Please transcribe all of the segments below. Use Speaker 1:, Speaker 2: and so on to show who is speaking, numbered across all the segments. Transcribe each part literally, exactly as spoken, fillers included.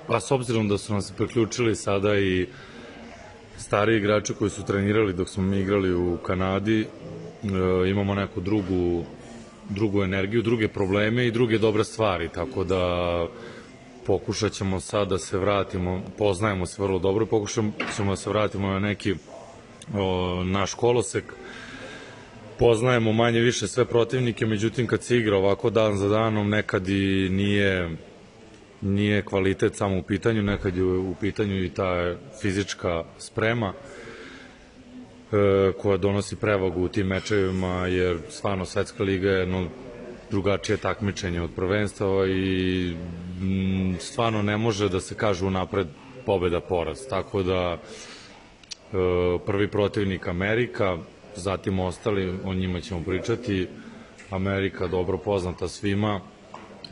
Speaker 1: Pa s obzirom da su nam se priključili sada i stari igrači koji su trenirali dok smo mi igrali u Kanadi, e, imamo neku drugu, drugu energiju, druge probleme i druge dobre stvari, tako da pokušat ćemo sad da se vratimo, poznajemo se vrlo dobro, pokušat ćemo da se vratimo na neki o, naš kolosek, poznajemo manje više sve protivnike, međutim kad se igra ovako dan za danom nekad i nije nije kvalitet samo u pitanju, nekad je u pitanju i ta fizička sprema e, koja donosi prevagu u tim mečevima, jer stvarno svetska liga je jedno drugačije takmičenje od prvenstava i m, stvarno ne može da se kaže unapred pobeda poraz, tako da e, prvi protivnik Amerika, zatim ostali, o njima ćemo pričati. Amerika dobro poznata svima,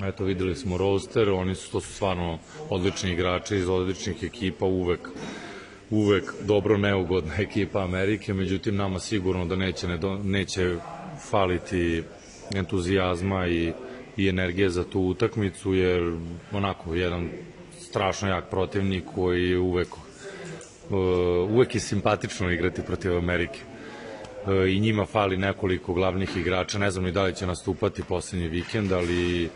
Speaker 1: eto videli smo roster, oni su, to su stvarno odlični igrači iz odličnih ekipa, uvek uvek dobro neugodna ekipa Amerike, međutim nama sigurno da neće, neće faliti entuzijazma i, i energije za tu utakmicu, jer onako jedan strašno jak protivnik koji uvek uvek je simpatično igrati protiv Amerike. I njima fali nekoliko glavnih igrača, ne znam ni da li će nastupati poslednji vikend, ali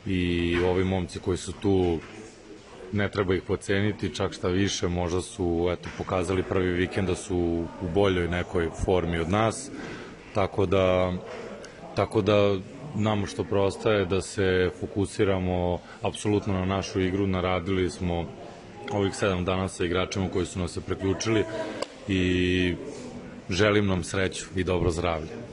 Speaker 1: i ovi momci koji su tu ne treba ih poceniti, čak šta više, možda su eto, pokazali prvi vikend da su u boljoj nekoj formi od nas, tako da tako da nam što preostaje da se fokusiramo apsolutno na našu igru. Naradili smo ovih sedam dana sa igračima koji su nas se preključili i želim nam sreću i dobro zdravlje.